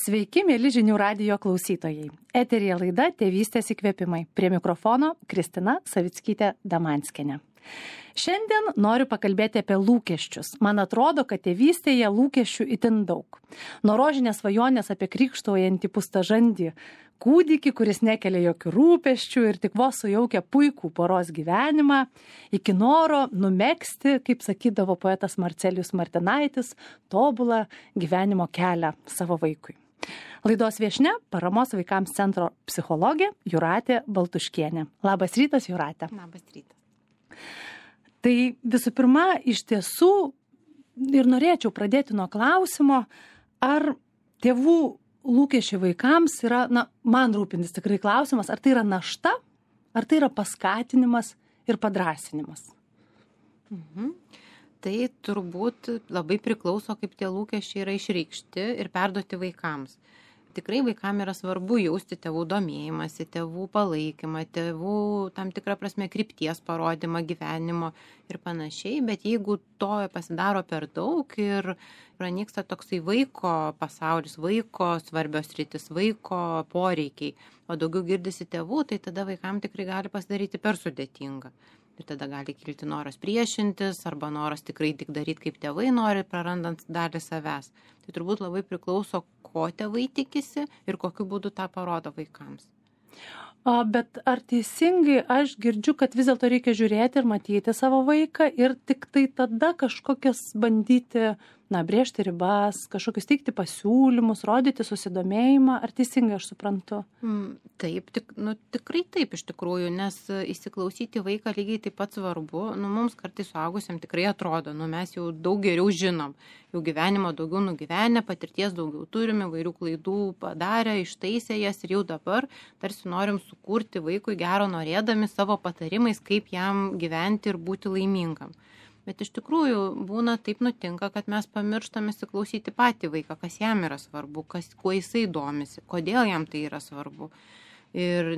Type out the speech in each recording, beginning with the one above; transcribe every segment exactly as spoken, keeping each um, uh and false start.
Sveiki, mėly žinių radijo klausytojai. Eteryje laida Tėvystės įkvėpimai. Prie mikrofono Kristina Savickytė-Damanskienė. Šiandien noriu pakalbėti apie lūkesčius. Man atrodo, kad tėvystėje lūkesčių itin daug. Nuo rožinės svajonės apie krikštaujantį pustažandį kūdikį, kuris nekelia jokių rūpesčių ir tik vos sujaukia puikų poros gyvenimą, iki noro numegzti, kaip sakydavo poetas Marcelijus Martinaitis, tobulą gyvenimo kelią savo vaikui. Laidos viešnia Paramos vaikams centro psichologė Jūratė Baltuškienė. Labas rytas, Jūratė. Labas rytas. Tai visų pirma, iš tiesų ir norėčiau pradėti nuo klausimo, ar tėvų lūkesčiai vaikams yra, na, man rūpintis tikrai klausimas, ar tai yra našta, ar tai yra paskatinimas ir padrąsinimas. Mhm. Tai turbūt labai priklauso, kaip tie lūkesčiai yra išreikšti ir perduoti vaikams. Tikrai vaikams yra svarbu jausti tėvų domėjimąsi, tėvų palaikymą, tėvų tam tikrą prasme krypties parodymą gyvenimo ir panašiai, bet jeigu to pasidaro per daug ir pranyksta toksai vaiko pasaulis, vaiko svarbios rytis, vaiko poreikiai, o daugiau girdisi tėvų, tai tada vaikams tikrai gali pasidaryti per sudėtinga. Ir tada gali kilti noras priešintis arba noras tikrai tik daryti, kaip tėvai nori, prarandant dalį savęs. Tai turbūt labai priklauso, ko tėvai tikisi ir kokiu būdu tą parodo vaikams. O, bet ar teisingai aš girdžiu, kad vis dėlto reikia žiūrėti ir matyti savo vaiką ir tik tai tada kažkokias bandyti, na, brėžti ribas, kažkokius teikti pasiūlymus, rodyti susidomėjimą, ar teisingai aš suprantu? Mm, taip, tik, nu, tikrai taip iš tikrųjų, nes įsiklausyti vaiką lygiai taip pat svarbu. Nu, mums kartais suaugusiam tikrai atrodo, nu, mes jau daug geriau žinom, jau gyvenimo daugiau nugyvenę, patirties daugiau turime, vairių klaidų padarę, ištaisę jas ir jau dabar tarsi norim sukurti vaikui gero norėdami savo patarimais, kaip jam gyventi ir būti laimingam. Bet iš tikrųjų būna taip nutinka, kad mes pamirštame įsiklausyti patį vaiką, kas jam yra svarbu, kas, kuo jisai domisi, kodėl jam tai yra svarbu. Ir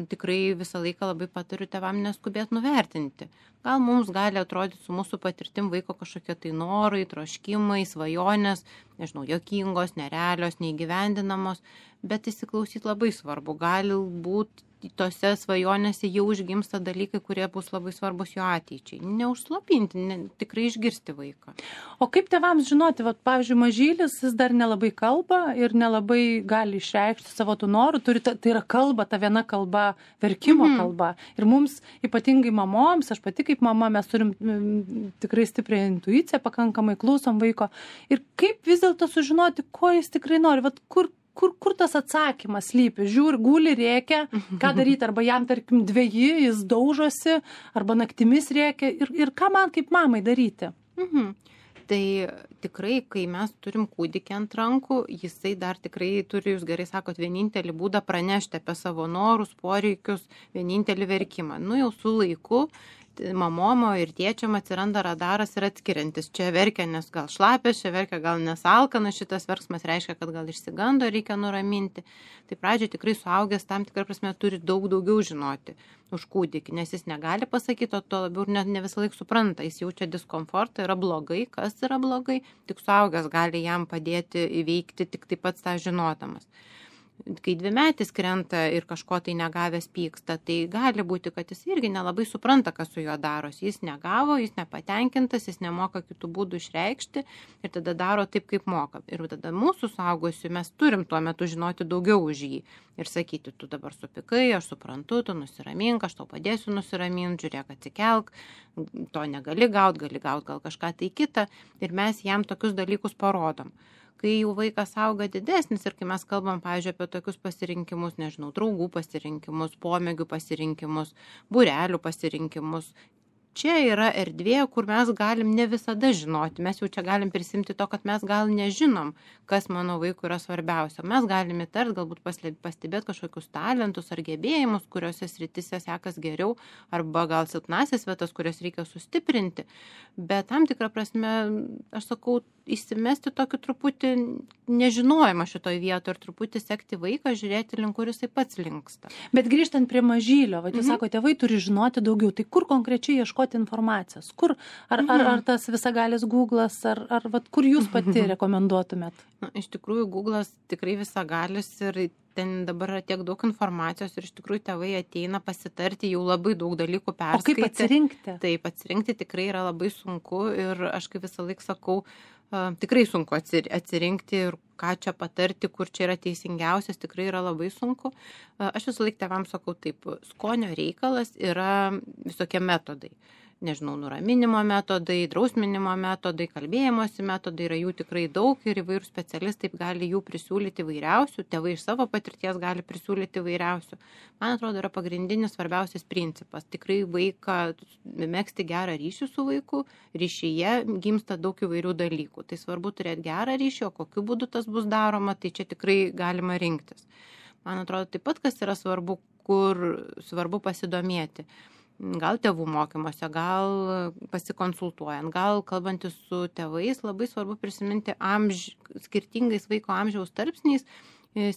tikrai visą laiką labai patariu tėvam neskubėti nuvertinti. Gal mums gali atrodyti su mūsų patirtim vaiko kažkokie tai norai, troškimai, svajonės, nežinau, juokingos, nerealios, neįgyvendinamos, bet įsiklausyti labai svarbu. Gali būti tose svajonėse jau užgimsta dalykai, kurie bus labai svarbus jo ateičiai. Neužslopinti, ne, tikrai išgirsti vaiką. O kaip tėvams žinoti, vat, pavyzdžiui, mažylis jis dar nelabai kalba ir nelabai gali išreikšti savo tų norų, turi, ta, tai yra kalba, ta viena kalba, verkimo mm-hmm. kalba. Ir mums, ypatingai mamoms, aš pati kaip mama, mes turim m, tikrai stiprią intuiciją, pakankamai klausom vaiko. Ir kaip vis dėlto sužinoti, ko jis tikrai nori, vat, kur Kur, kur tas atsakymas slypi? Žiūri, guli, rėkia, ką daryti, arba jam, tarkim, dveji, jis daužosi, arba naktimis rėkia. Ir, ir ką man kaip mamai daryti? Mhm. Tai tikrai, kai mes turim kūdikį ant rankų, jisai dar tikrai turi, jūs gerai sakot, vienintelį būdą pranešti apie savo norus, poreikius, vienintelį verkimą. Nu jau su laiku mamomo ir tėčiam atsiranda radaras ir atskiriantis. Čia verkia, nes gal šlapės, čia verkia, gal nesalkana, šitas verksmas reiškia, kad gal išsigando, reikia nuraminti. Tai pradžioje tikrai suaugęs tam tikrą prasme turi daug daugiau žinoti už kūdikį, nes jis negali pasakyti, o to labiau ne, ne visą laiką supranta. Jis jaučia diskomfortą, yra blogai, kas yra blogai, tik suaugęs gali jam padėti įveikti tik taip pat tą žinodamas. Kai dvimetis krenta ir kažko tai negavęs pyksta, tai gali būti, kad jis irgi nelabai supranta, kas su juo darosi. Jis negavo, jis nepatenkintas, jis nemoka kitų būdų išreikšti ir tada daro taip, kaip moka. Ir tada mūsų suaugusių mes turim tuo metu žinoti daugiau už jį ir sakyti, tu dabar supykai, aš suprantu, tu nusiramink, aš tau padėsiu nusiraminti, žiūrėk, atsikelk, to negali gaut, gali gaut gal kažką tai kitą ir mes jam tokius dalykus parodom. Kai jau vaikas auga didesnis ir kai mes kalbam, pavyzdžiui, apie tokius pasirinkimus, nežinau, draugų pasirinkimus, pomėgių pasirinkimus, būrelių pasirinkimus, čia yra erdvė, kur mes galim ne visada žinoti. Mes jau čia galim prisimti to, kad mes gal nežinom, kas mano vaikui yra svarbiausia. Mes galim įtart, galbūt pastebėti kažkokius talentus ar gebėjimus, kuriuose srityse sekas geriau, arba gal silpnasias vietas, kurias reikia sustiprinti. Bet tam tikrą prasme, aš sakau, įsimesti tokį truputį nežinojimą šitoj vietoj ir truputį sekti vaiką, žiūrėti link, kur jisai pats linksta. Bet grįžtant prie mažylio, va, jūs mhm. sako, tėvai turi žinoti daugiau, tai kur konkrečiai ieškoti informacijos? Kur? Ar, mhm. ar, ar tas visagalis Google'as, ar, ar va, kur jūs pati mhm. rekomenduotumėt? Na, iš tikrųjų, Google'as tikrai visagalis ir ten dabar yra tiek daug informacijos ir iš tikrųjų tėvai ateina pasitarti, jau labai daug dalykų perskaitė. O kaip atsirinkti? Taip, atsirinkti tikrai yra labai sunku ir aš kaip visą laiką sakau, Uh, tikrai sunku atsirinkti ir ką čia patarti, kur čia yra teisingiausias, tikrai yra labai sunku. Uh, aš visą laiką tėvams sakau taip, skonio reikalas yra visokie metodai. Nežinau, nuraminimo metodai, drausminimo metodai, kalbėjimosi metodai, yra jų tikrai daug ir įvairių specialistai gali jų prisiūlyti įvairiausių, tėvai iš savo patirties gali prisiūlyti įvairiausių. Man atrodo, yra pagrindinis svarbiausias principas. Tikrai vaiką, megzti gerą ryšį su vaiku, ryšyje gimsta daug įvairių dalykų. Tai svarbu turėti gerą ryšį, o kokiu būdu tas bus daroma, tai čia tikrai galima rinktis. Man atrodo, taip pat, kas yra svarbu, kur svarbu pasidomėti. Gal tėvų mokymuose, gal pasikonsultuojant, gal kalbantis su tėvais, labai svarbu prisiminti amž... skirtingais vaiko amžiaus tarpsniais,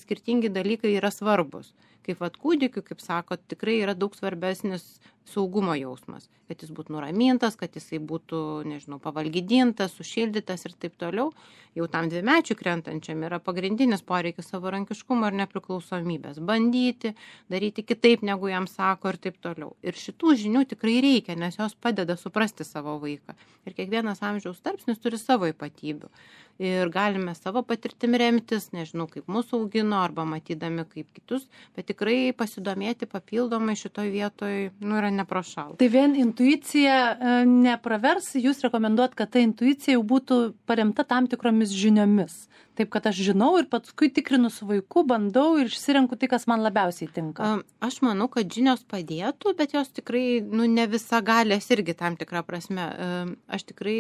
skirtingi dalykai yra svarbus. Kaip vat kūdikiu, kaip sako, tikrai yra daug svarbesnis saugumo jausmas, kad jis būtų nuramintas, kad jisai būtų, nežinau, pavalgydintas, sušildytas ir taip toliau. Jau tam dvimečiui krentančiam yra pagrindinis poreikis savarankiškumo ir nepriklausomybės. Bandyti, daryti kitaip, negu jam sako ir taip toliau. Ir šitų žinių tikrai reikia, nes jos padeda suprasti savo vaiką. Ir kiekvienas amžiaus tarpsnis turi savo ypatybių. Ir galime savo patirtim remtis, nežinau, kaip mūsų augino, arba matydami kaip kitus, bet tikrai pasidomėti papildomai šitoj vietoj, nu, yra neprošal. Tai vien intuicija nepravers, jūs rekomenduot, kad ta intuicija jau būtų paremta tam tikromis žiniomis. Taip, kad aš žinau ir paskui tikrinu su vaiku, bandau ir išsirenku tai, kas man labiausiai tinka. Aš manau, kad žinios padėtų, bet jos tikrai, nu, ne visa galės irgi tam tikrą prasme. Aš tikrai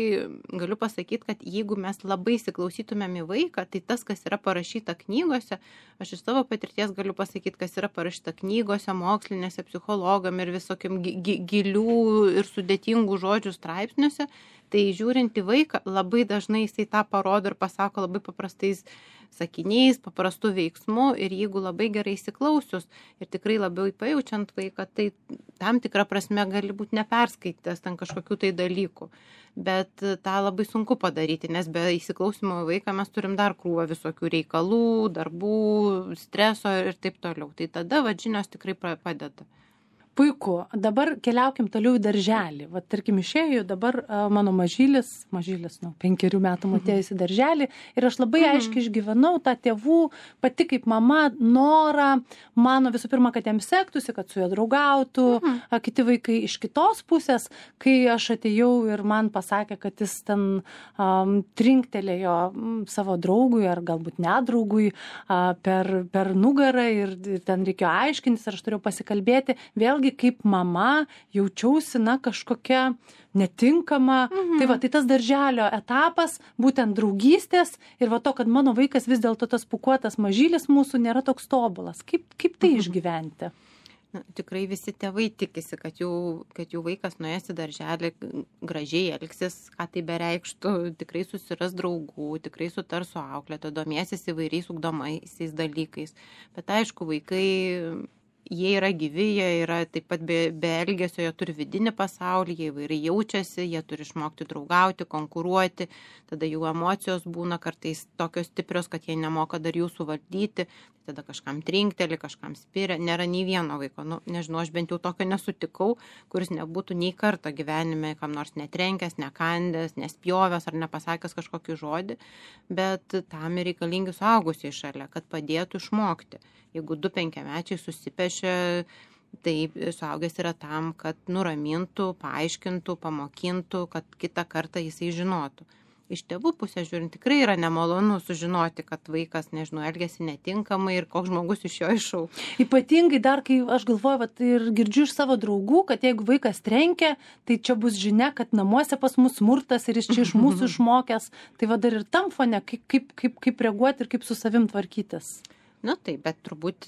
galiu pasakyti, kad jeigu mes labai įsiklausytumėm į vaiką, tai tas, kas yra parašyta knygose, aš iš savo patirties galiu pasakyti, kas yra parašyta knygose, mokslinėse, psichologam ir visokiam gi- gi- gilių ir sudėtingų žodžių straipsniuose, tai žiūrint į vaiką, labai dažnai jisai tą parodo ir pasako labai paprastais sakiniais, paprastų veiksmų ir jeigu labai gerai įsiklausius ir tikrai labiau pajaučiant vaiką, tai tam tikrą prasme gali būti neperskaitęs ten kažkokių tai dalykų. Bet tą labai sunku padaryti, nes be įsiklausimo į vaiką mes turim dar krūvą visokių reikalų, darbų, streso ir taip toliau. Tai tada va, žinios tikrai padeda. Puiku. Dabar keliaukim toliau į darželį. Va, tarkim, išėjau dabar a, mano mažylis, mažylis, nu, penkerių metų atėjus į darželį ir aš labai mhm. aiškiai išgyvenau tą tėvų, pati kaip mama, norą, mano visų pirma, kad jam sektųsi, kad su juo draugautų, mhm. a, kiti vaikai iš kitos pusės, kai aš atėjau ir man pasakė, kad jis ten um, trinktelėjo um, savo draugui ar galbūt nedraugui uh, per, per nugarą ir, ir ten reikėjo aiškintis, ar aš turėjau pasikalbėti. Vėlgi kaip mama jaučiausi, na, kažkokia netinkama. Mhm. Tai va, tai tas darželio etapas, būtent draugystės ir va to, kad mano vaikas vis dėlto tas pūkuotas mažylis mūsų nėra toks tobulas. Kaip, kaip tai mhm. išgyventi? Na, tikrai visi tėvai tikisi, kad jų, kad jų vaikas nuėjęs į darželį gražiai elgsis, ką tai bereikštų, tikrai susiras draugų, tikrai sutars su auklėtoja, domėsis įvairiais ugdomaisiais dalykais. Bet aišku, vaikai jie yra gyvi, jie yra taip pat be, be elgesio, jie turi vidinį pasaulį, jie įvairiai jaučiasi, jie turi išmokti draugauti, konkuruoti, tada jų emocijos būna kartais tokios stiprios, kad jie nemoka dar jų suvaldyti, tada kažkam trinkteli, kažkam spiria, nėra nei vieno vaiko, nu, nežinau, aš bent jau tokio nesutikau, kuris nebūtų nei kartą gyvenime kam nors netrenkęs, nekandęs, nespjovęs ar nepasakęs kažkokį žodį, bet tam ir reikalingi suaugusiai šalia, kad padėtų išmokti. Jeigu du penkiamečiai susipešia, tai suaugęs yra tam, kad nuramintų, paaiškintų, pamokintų, kad kitą kartą jisai žinotų. Iš tėvų pusės žiūrint, tikrai yra nemalonu sužinoti, kad vaikas, nežinau, elgesi netinkamai ir koks žmogus iš jo iššaukia. Ypatingai dar, kai aš galvoju, vat, ir girdžiu iš savo draugų, kad jeigu vaikas trenkia, tai čia bus žinia, kad namuose pas mus smurtas ir jis čia iš mūsų išmokęs. Tai va dar ir tam fone, kaip, kaip, kaip, kaip reaguoti ir kaip su savim tvarkytis. Na taip, bet turbūt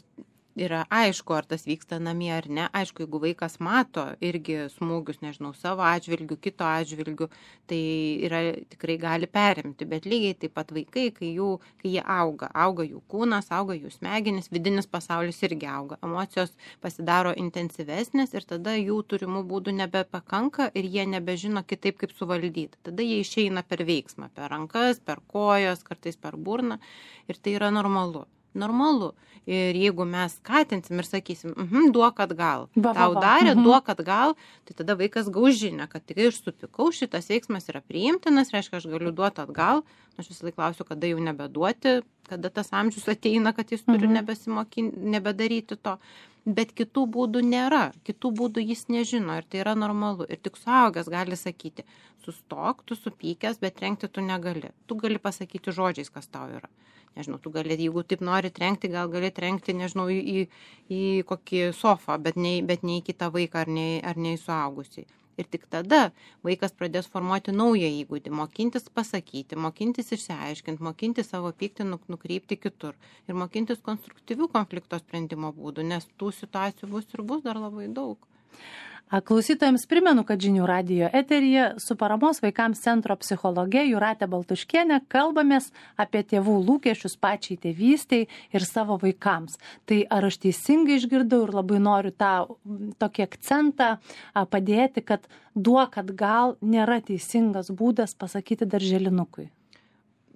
yra aišku, ar tas vyksta namie ar ne. Aišku, jeigu vaikas mato irgi smūgius, nežinau, savo atžvilgių, kito atžvilgių, tai yra, tikrai gali perimti. Bet lygiai taip pat vaikai, kai, jų, kai jie auga, auga jų kūnas, auga jų smegenis, vidinis pasaulis irgi auga. Emocijos pasidaro intensyvesnės ir tada jų turimų būdų nebepakanka ir jie nebežino kitaip, kaip suvaldyti. Tada jie išeina per veiksmą, per rankas, per kojas, kartais per burną ir tai yra normalu. Normalu. Ir jeigu mes skatinsim ir sakysim, mhm, duok atgal, Va, va, tau va. darė, Mhm. duok atgal, tai tada vaikas gaus žinią, kad tik aš supikau, šitas veiksmas yra priimtinas, reiškia, aš galiu duoti atgal. Aš visą laiką klausiu, kada jau nebeduoti, kada tas amžius ateina, kad jis turi Mhm. nebesimokinti, nebedaryti to. Bet kitų būdų nėra, kitų būdų jis nežino ir tai yra normalu. Ir tik suaugęs gali sakyti, sustok, tu supykęs, bet trenkti tu negali. Tu gali pasakyti žodžiais, kas tau yra. Nežinau, tu gali, jeigu taip nori trenkti, gal gali trenkti, nežinau, į, į, į kokį sofą, bet ne, bet ne į kitą vaiką ar ne, ar ne į suaugusį. Ir tik tada vaikas pradės formuoti naują įgūdį, mokintis pasakyti, mokintis išsiaiškinti, mokintis savo pyktį nukreipti kitur ir mokintis konstruktyvių konflikto sprendimo būdų, nes tų situacijų bus ir bus dar labai daug. Klausytojams primenu, kad Žinių radijo eteryje su Paramos vaikams centro psichologe Jūratė Baltuškienė kalbamės apie tėvų lūkesčius pačiai tėvystei ir savo vaikams. Tai ar aš teisingai išgirdau ir labai noriu tą tokį akcentą padėti, kad duok atgal nėra teisingas būdas pasakyti darželinukui?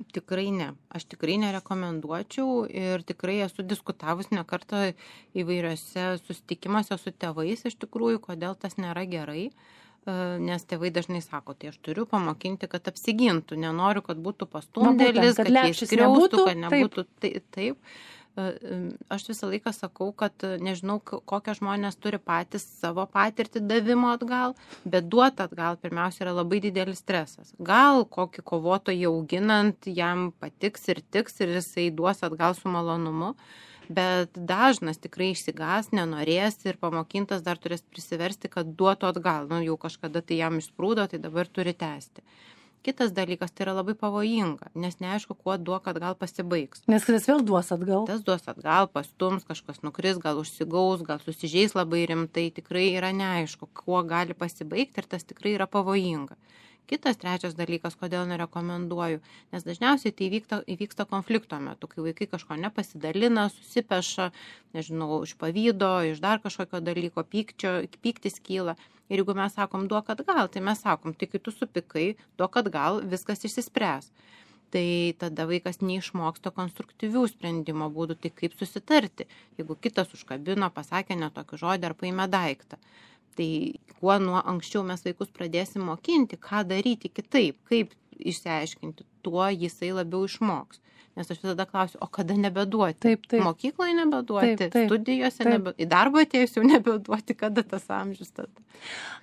Tikrai ne. Aš tikrai nerekomenduočiau ir tikrai esu diskutavus ne kartą įvairiose susitikimuose su tėvais iš tikrųjų, kodėl tas nėra gerai, nes tėvai dažnai sako, tai aš turiu pamokinti, kad apsigintų, nenoriu, kad būtų pastumdėlis, kad, kad jie skriaustų, kad nebūtų taip. taip. Aš visą laiką sakau, kad nežinau, kokią žmonės turi patys savo patirtį davimo atgal, bet duoti atgal pirmiausia yra labai didelis stresas. Gal kokį kovotojį auginant jam patiks ir tiks ir jisai duos atgal su malonumu, bet dažnas tikrai išsigas, nenorės ir pamokintas dar turės prisiversti, kad duotų atgal. Nu, jau kažkada tai jam išsprūdo, tai dabar turi tęsti. Kitas dalykas, tai yra labai pavojinga, nes neaišku, kuo duok atgal pasibaigs. Nes kas vėl duos atgal? Tas duos atgal, pastums, kažkas nukris, gal užsigaus, gal susižeis labai rimtai, tikrai yra neaišku, kuo gali pasibaigti ir tas tikrai yra pavojinga. Kitas trečias dalykas, kodėl nerekomenduoju, nes dažniausiai tai įvyksta, įvyksta konflikto metu, kai vaikai kažko nepasidalina, susipeša, nežinau, iš pavydo, iš dar kažkokio dalyko, pykčio, pyktis kyla. Ir jeigu mes sakom duok atgal, tai mes sakom, tai kai tu supikai, duok atgal, viskas išsispręs. Tai tada vaikas neišmoksta konstruktyvių sprendimo būdų, tai kaip susitarti, jeigu kitas užkabino, pasakė netokį žodį ar paėmė daiktą. Tai kuo nuo anksčiau mes vaikus pradėsim mokinti, ką daryti kitaip, kaip išsiaiškinti, tuo jisai labiau išmoks. Nes aš visada klausiu, o kada nebeduoti? Taip, taip. Mokykloje nebeduoti, taip, taip, studijose taip. nebeduoti, į darbą atėjus jau nebeduoti, kada tas amžius tada.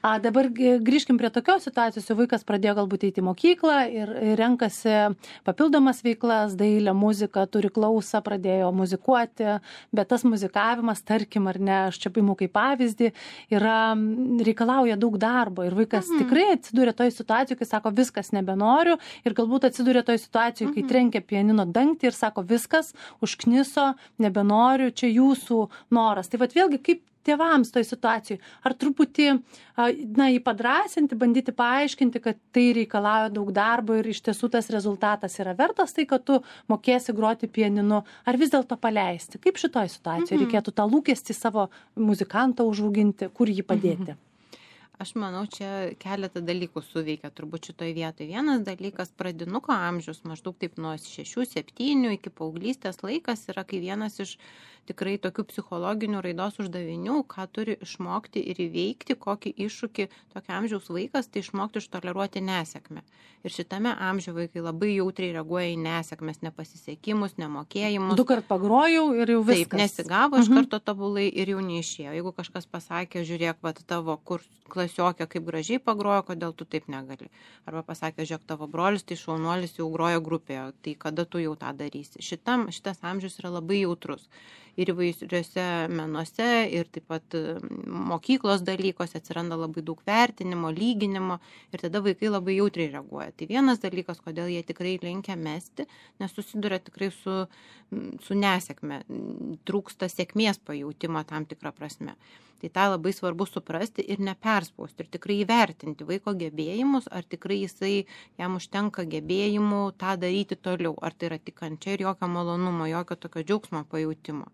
A, dabar grįžkim prie tokios situacijos, jau vaikas pradėjo galbūt eiti į mokyklą ir renkasi papildomas veiklas, dailę, muziką, turi klausą, pradėjo muzikuoti, bet tas muzikavimas, tarkim, ar ne, aš čia paimu kaip pavyzdį, yra, reikalauja daug darbo ir vaikas mhm. tikrai atsidūrė toj situacijoj, kai sako, viskas nebenoriu ir galbūt atsidūrė toj situacijoj, kai mhm. trenkia pianino dangtį ir sako, viskas užkniso, nebenoriu, čia jūsų noras. Tai vat vėlgi, kaip tėvams toj situacijoj, ar truputį, na, jį padrasinti, bandyti paaiškinti, kad tai reikalauja daug darbo ir iš tiesų tas rezultatas yra vertas tai, kad tu mokėsi groti pianinu, ar vis dėlto paleisti? Kaip šitoj situacijoje mhm. reikėtų tą lūkestį savo muzikantą užauginti, kur jį padėti? Mhm. Aš manau, čia keletą dalykų suveikia turbūt šitoj vietoje. Vienas dalykas, pradinuko amžius, maždaug taip nuo šešių septynių iki paauglystės laikas yra, kai vienas iš tikrai tokių psichologinių raidos uždavinių, ką turi išmokti ir įveikti, kokį iššūkį tokio amžiaus vaikas, tai išmokti ištoleruoti nesėkmę. Ir šitame amžiuje vaikai labai jautriai reaguoja į nesėkmes, nepasisekimus, nemokėjimus. Du kart pagrojau ir jau viskas. Taip, nesigavo iš karto tobulai ir jau neišėjo. Jeigu kažkas pasakė, žiūrėk, vat tavo kur klasiokė kaip gražiai pagrojo, kodėl tu taip negali. Arba pasakė, žiūrėk, tavo brolis, tai šaunuolis jau grojo grupėje, tai kada tu jau tą darysi. Šitam, šitas amžius yra labai jautrus. Ir įvairiuose menuose, ir taip pat mokyklos dalykose atsiranda labai daug vertinimo, lyginimo ir tada vaikai labai jautriai reaguoja. Tai vienas dalykas, kodėl jie tikrai linkia mesti, nes susiduria tikrai su, su nesėkme, trūksta sėkmės pajautimo tam tikrą prasme. Tai tą labai svarbu suprasti ir neperspausti ir tikrai įvertinti vaiko gebėjimus, ar tikrai jisai, jam užtenka gebėjimų tą daryti toliau, ar tai yra tik kančia ir jokio malonumo, jokio tokio džiaugsmo pajautimo.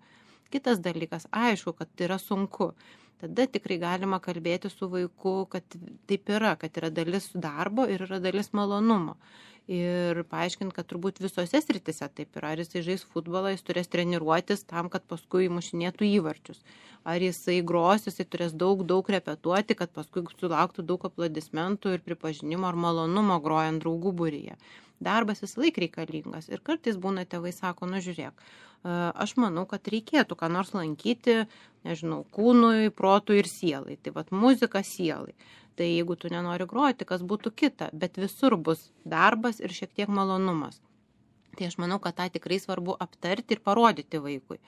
Kitas dalykas, aišku, kad tai yra sunku. Tada tikrai galima kalbėti su vaiku, kad taip yra, kad yra dalis darbo ir yra dalis malonumo. Ir paaiškinti, kad turbūt visose sritise taip yra. Ar jisai žais futbolą, jis turės treniruotis tam, kad paskui mušinėtų įvarčius. Ar jisai gros, jisai turės daug, daug repetuoti, kad paskui sulauktų daug aplodismentų ir pripažinimo ar malonumo grojant draugų būryje. Darbas visą laiką reikalingas. Ir kartais būna tėvai sako, nu žiūrėk, aš manau, kad reikėtų ką nors lankyti, nežinau, kūnui, protui ir sielai. Tai vat muzika sielai. Tai jeigu tu nenori groti, kas būtų kita, bet visur bus darbas ir šiek tiek malonumas. Tai aš manau, kad tą tikrai svarbu aptarti ir parodyti vaikui.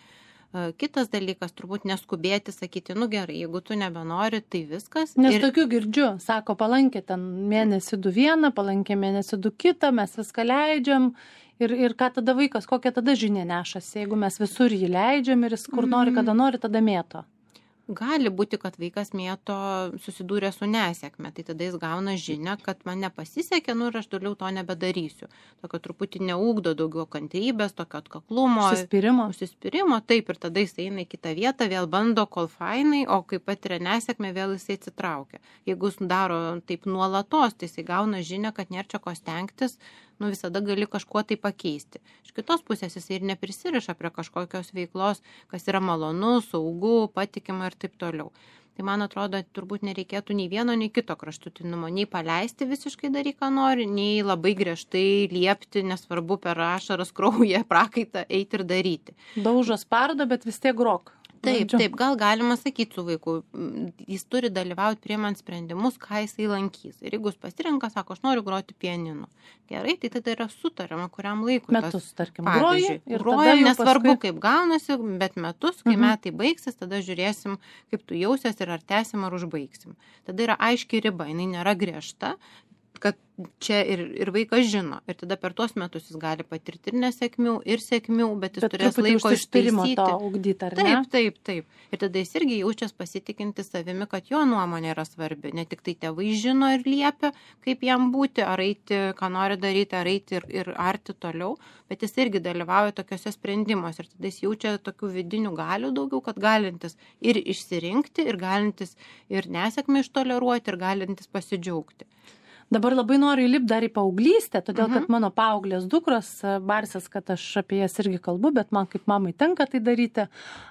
Kitas dalykas, turbūt neskubėti, sakyti, nu gerai, jeigu tu nebenori, tai viskas. Nes ir... tokių girdžiu, sako, palankė ten mėnesį du vieną, palankė mėnesį du kitą, mes viską leidžiam. Ir, ir ką tada vaikas, kokią tada žinia nešasi, jeigu mes visur jį leidžiam ir jis kur nori, kada nori, tada mėto. Gali būti, kad vaikas mėto susidūrė su nesėkme, tai tada jis gauna žinią, kad man nepasisekė, nu ir aš toliau to nebedarysiu. Tokio truputį neugdo daugiau kantrybės, tokio atkaklumo. Užsispyrimo. Užsispyrimo, taip, ir tada jis eina į kitą vietą, vėl bando, kol fainai, o kai patiria nesėkmę, vėl jisai atsitraukia. Jeigu jis daro taip nuolatos, tai jisai gauna žinią, kad nėra čia ko stengtis, nu visada gali kažkuo tai pakeisti. Iš kitos pusės jisai ir neprisiriša prie kažkokios veiklos, kas yra malonu, saugu, patikima ir taip toliau. Tai man atrodo, turbūt nereikėtų nei vieno, nei kito kraštutinumo, nei paleisti visiškai daryk, ką nori, nei labai griežtai liepti, nesvarbu per ašaras, kraują, prakaitą, eiti ir daryti. Daužo spardo, bet vis tiek grok. Taip, taip, gal galima sakyti su vaiku, jis turi dalyvauti priimant sprendimus, ką jisai lankys. Ir jeigu jis pasirenka, sako, aš noriu groti pianinu. Gerai, tai tada yra sutariama, kuriam laikui. Metus, tarkim, groji. Ir grojam, nesvarbu, paskui... kaip gaunasi, bet metus, kai mhm. metai baigsis, tada žiūrėsim, kaip tu jausies ir ar tęsim, ar užbaigsim. Tada yra aiški riba, jinai nėra griežta, kad čia ir, ir vaikas žino. Ir tada per tuos metus jis gali patirti ir nesėkmių, ir sėkmių, bet jis bet turės laiko ištaisyti. Ugdyti, ar ne? Taip, taip, taip. Ir tada jis irgi jaučias pasitikinti savimi, kad jo nuomonė yra svarbi. Ne tik tai tėvai žino ir liepia, kaip jam būti, ar eiti, ką nori daryti, ar eiti ir, ir arti toliau, bet jis irgi dalyvauja tokiuose sprendimuose. Ir tada jis jaučia tokių vidinių galių daugiau, kad galintis ir išsirinkti, ir galintis ir nesėkmę ištoleruoti, ir galintis pasidžiaugti. Dabar labai noriu įlipti dar į paauglystę, todėl kad mano paauglės dukros, barsės, kad aš apie jas irgi kalbu, bet man kaip mamai tenka tai daryti.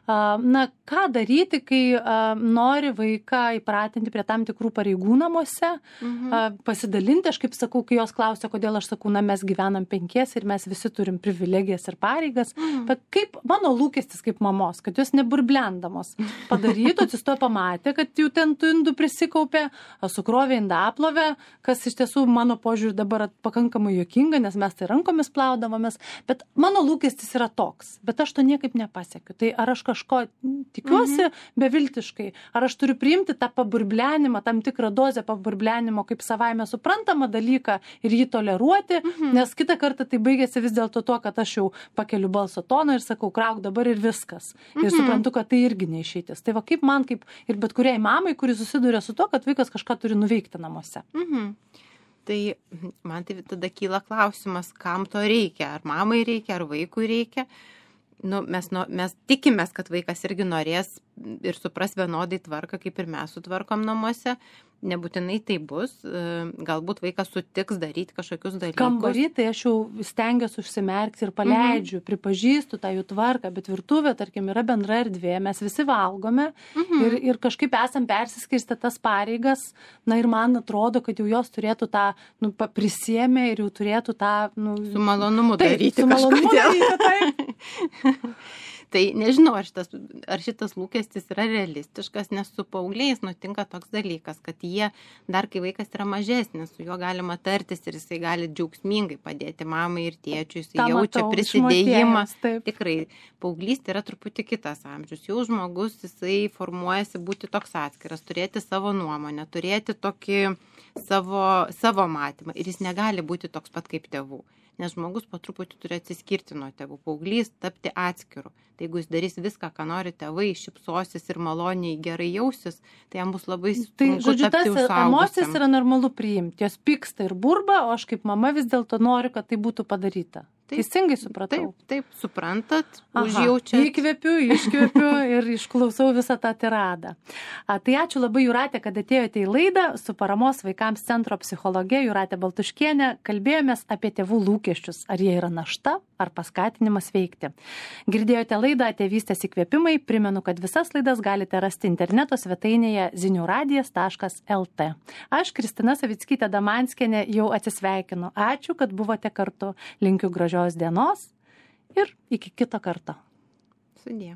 Na, ką daryti, kai nori vaiką įpratinti prie tam tikrų pareigų namuose, mhm. pasidalinti, aš kaip sakau, kai jos klausia, kodėl aš sakau, na, mes gyvenam penkies ir mes visi turim privilegijas ir pareigas, mhm. bet kaip mano lūkestis kaip mamos, kad jos neburblendamos padarytų, atsistojo pamatė, kad jau ten tų indų prisikaupė, sukrovė indaplovę, kas iš tiesų mano požiūrį dabar pakankamai juokinga, nes mes tai rankomis plaudavomės, bet mano lūkestis yra toks, bet aš to niekaip nepasiekiu. Tai ar aš kažko tikiuosi mhm. beviltiškai, ar aš turiu priimti tą paburblenimą, tam tikrą dozę paburblenimo kaip savaime suprantamą dalyką ir jį toleruoti, mhm. nes kitą kartą tai baigėsi vis dėlto to, kad aš jau pakeliu balso toną ir sakau, krauk dabar ir viskas. Ir mhm. suprantu, kad tai irgi neišeitis. Tai va kaip man, kaip ir bet kuriai mamai, kuri susiduria su to, kad vaikas kažką turi nuveikti namuose. Mhm. Tai man tai tada kyla klausimas, kam to reikia, ar mamai reikia, ar vaikui reikia. Nu, mes, nu, mes tikimės, kad vaikas irgi norės ir supras vienodai tvarką, kaip ir mes sutvarkom namuose. Nebūtinai tai bus. Galbūt vaikas sutiks daryti kažkokius dalykus. Kambarį, tai aš jau stengiuosi užsimerkti ir paleidžiu, mhm. pripažįstu tą jų tvarką, bet virtuvė, tarkim, yra bendra erdvė, mes visi valgome mhm. ir, ir kažkaip esam persiskirstę tas pareigas, na ir man atrodo, kad jau jos turėtų tą, nu, prisiėmę ir jau turėtų tą, nu... Su malonumu taip, daryti su malonumu daryti, taip. Tai nežinau, ar šitas, ar šitas lūkestis yra realistiškas, nes su paaugliais nutinka toks dalykas, kad jie dar kai vaikas yra mažesnis, su juo galima tartis ir jisai gali džiaugsmingai padėti mamai ir tėčiui, jisai tą jaučia matau, prisidėjimą. išmokėjęs, taip. Tikrai, paauglystė yra truputį kitas amžius. Jau žmogus, jisai formuojasi būti toks atskiras, turėti savo nuomonę, turėti tokį savo, savo matymą ir jis negali būti toks pat kaip tėvų. Nes žmogus po truputį turi atsiskirti nuo tėvų, paauglys tapti atskiru. Tai jeigu jis darys viską, ką nori tėvai, šypsosis ir maloniai gerai jausis, tai jam bus labai sunku Tai, žodžiu, tapti tas suaugusiam. emocijas yra normalu priimti. Jos pyksta ir burba, o aš kaip mama vis dėlto noriu, kad tai būtų padaryta. Taip, Teisingai supratau. Taip, taip, suprantat, Aha, užjaučiat. Įkvepiu, iškvepiu ir išklausau visą tą tiradą. A, tai ačiū labai, Jūratė, kad atėjote į laidą su Paramos vaikams centro psichologė Jūratė Baltuškienė. Kalbėjomės apie tėvų lūkesčius, ar jie yra našta, ar paskatinimas veikti. Girdėjote laidą Tėvystės įkvėpimai. Primenu, kad visas laidas galite rasti interneto svetainėje ziniuradijas taškas lt. Aš, Kristina Savickytė Damanskienė, jau atsisveikinu. Ačiū, kad buvote kartu. Linkiu gražios dienos ir iki kito karto. Sudie.